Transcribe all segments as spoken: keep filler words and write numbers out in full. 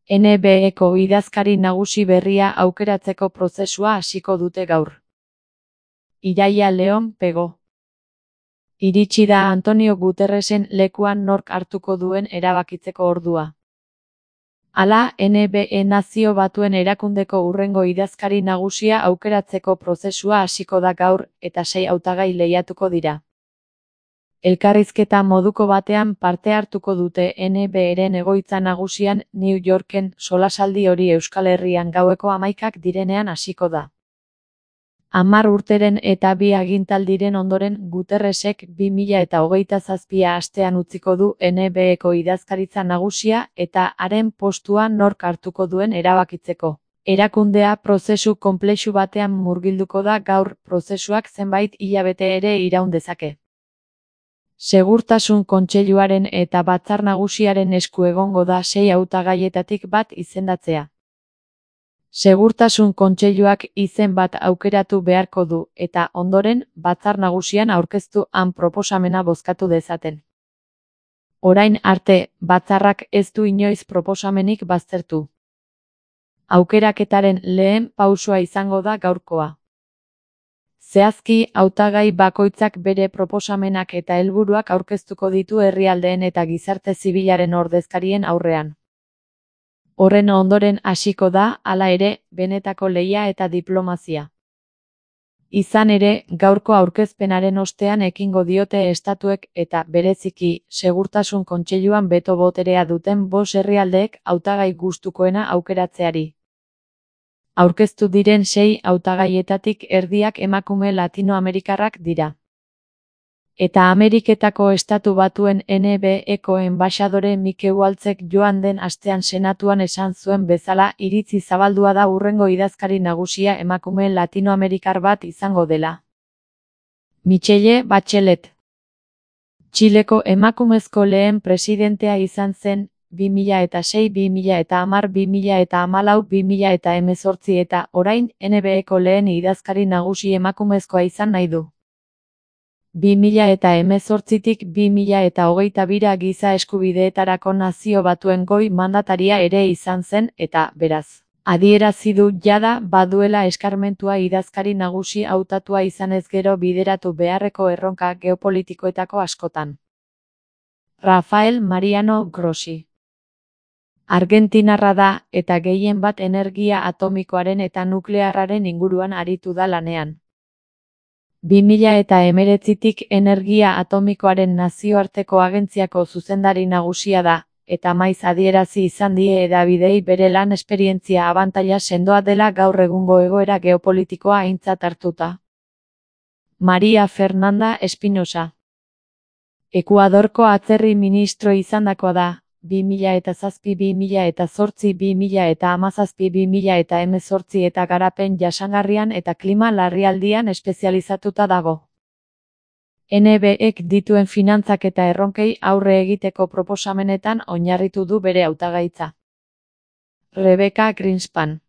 N B E-ko idazkari nagusi berria aukeratzeko prozesua hasiko dute gaur. Iraia Leon Pego. Iritsi da Antonio Guterresen lekuan nork hartuko duen erabakitzeko ordua. Hala, N B E Nazio Batuen Erakundeko hurrengo idazkari nagusia aukeratzeko prozesua hasiko da gaur, eta sei hautagai lehiatuko dira. Elkarrizketa moduko batean parte hartuko dute N B E-ren egoitza nagusian New Yorken, solasaldi hori Euskal Herrian gaueko hamaikak direnean hasiko da. Hamar urteren eta bi agintaldiren ondoren Guterresek bi mila eta hogeita zazpia astean utziko du N B E-ko idazkaritza nagusia eta haren postua nork hartuko duen erabakitzeko. Erakundea prozesu konplexu batean murgilduko da gaur, prozesuak zenbait hilabete ere iraun dezake. Segurtasun Kontseiluaren eta Batzar Nagusiaren esku egongo da sei hautagaietatik bat izendatzea. Segurtasun Kontseiluak izen bat aukeratu beharko du, eta ondoren, Batzar Nagusian aurkeztu han proposamena bozkatu dezaten. Orain arte, batzarrak ez du inoiz proposamenik baztertu. Aukeraketaren lehen pausua izango da gaurkoa. Zehazki, hautagai bakoitzak bere proposamenak eta helburuak aurkeztuko ditu herrialdeen eta gizarte zibilaren ordezkarien aurrean. Horren ondoren hasiko da, hala ere, benetako lehia eta diplomazia. Izan ere, gaurko aurkezpenaren ostean ekingo diote estatuek eta, bereziki, Segurtasun Kontseiluan beto boterea duten bost herrialdeek hautagai gustukoena aukeratzeari. Aurkeztu diren sei hautagaietatik erdiak emakume latinoamerikarrak dira. Eta Ameriketako Estatu Batuen N B E-ko enbaxadore Mike Waltzek joan den astean senatuan esan zuen bezala iritzi zabaldua da hurrengo idazkari nagusia emakume latinoamerikar bat izango dela. Michelle Bachelet. Txileko emakumezko lehen presidentea izan zen, bi mila eta sei, bi mila eta hamar, bi mila eta hamalau, bi mila eta hemezortzi eta, orain, N B E-ko lehen idazkari nagusi emakumezkoa izan nahi du. bi mila eta hemezortzitik bi mila eta hogeita bira giza eskubideetarako Nazio Batuen goi mandataria ere izan zen, eta, beraz, adierazi du jada baduela eskarmentua idazkari nagusi hautatua izanez gero bideratu beharreko erronka geopolitikoetako askotan. Rafael Mariano Grossi. Argentinarra da, eta gehien bat energia atomikoaren eta nuklearraren inguruan aritu da lanean. bi mila eta hemeretzitik energia atomikoaren nazioarteko agentziako zuzendari nagusia da, eta maiz adierazi izan die hedabideei bere lan esperientzia abantaila sendoa dela gaur egungo egoera geopolitikoa aintzat hartuta. Maria Fernanda Espinosa. Ekuadorko atzerri ministro izandakoa da, bi mila eta zazpi, bi mila eta zortzi, bi mila eta hamazazpi, bi mila eta hemezortzi eta garapen jasangarrian eta klima larrialdian espezializatuta dago. N B E-ek dituen finantzak eta erronkei aurre egiteko proposamenetan oinarritu du bere hautagaitza. Rebecca Greenspan.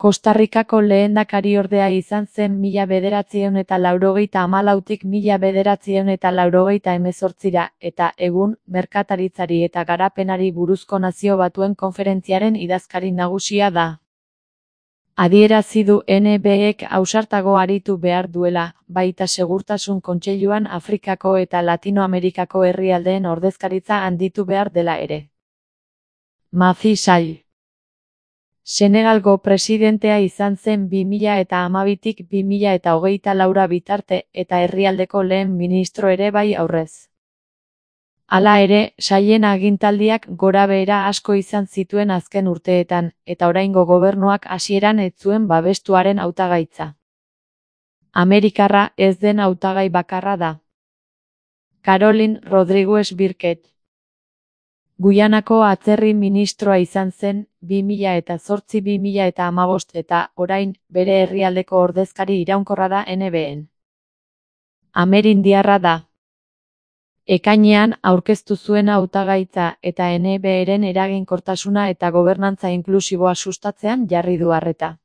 Costa Ricako lehendakariordea izan zen mila bederatziehun eta laurogeita hamalautik mila bederatziehun eta laurogeita hemezortzira, eta egun, merkataritzari eta garapenari buruzko Nazio Batuen konferentziaren idazkari nagusia da. Adierazi du N B E-ek ausartago aritu behar duela, baita Segurtasun Kontseiluan Afrikako eta Latinoamerikako herrialdeen ordezkaritza handitu behar dela ere. Macky Sall. Senegalgo presidentea izan zen bi mila eta hamabitik bi mila eta hogeita laura bitarte eta herrialdeko lehen ministro ere bai aurrez. Hala ere, Sallen agintaldiak gorabehera asko izan zituen azken urteetan, eta oraingo gobernuak hasieran ez zuen babestuaren hautagaitza. Amerikarra ez den hautagai bakarra da. Caroline Rodriguez Birket. Guyanako atzerri ministroa izan zen, bi mila eta zortzi bi mila eta hamabost eta, orain, bere herrialdeko ordezkari iraunkorra da N B E-en. Amerindiarra da. Ekainean aurkeztu zuen hautagaitza eta N B E-ren eraginkortasuna eta gobernantza inklusiboa sustatzean jarri du arreta.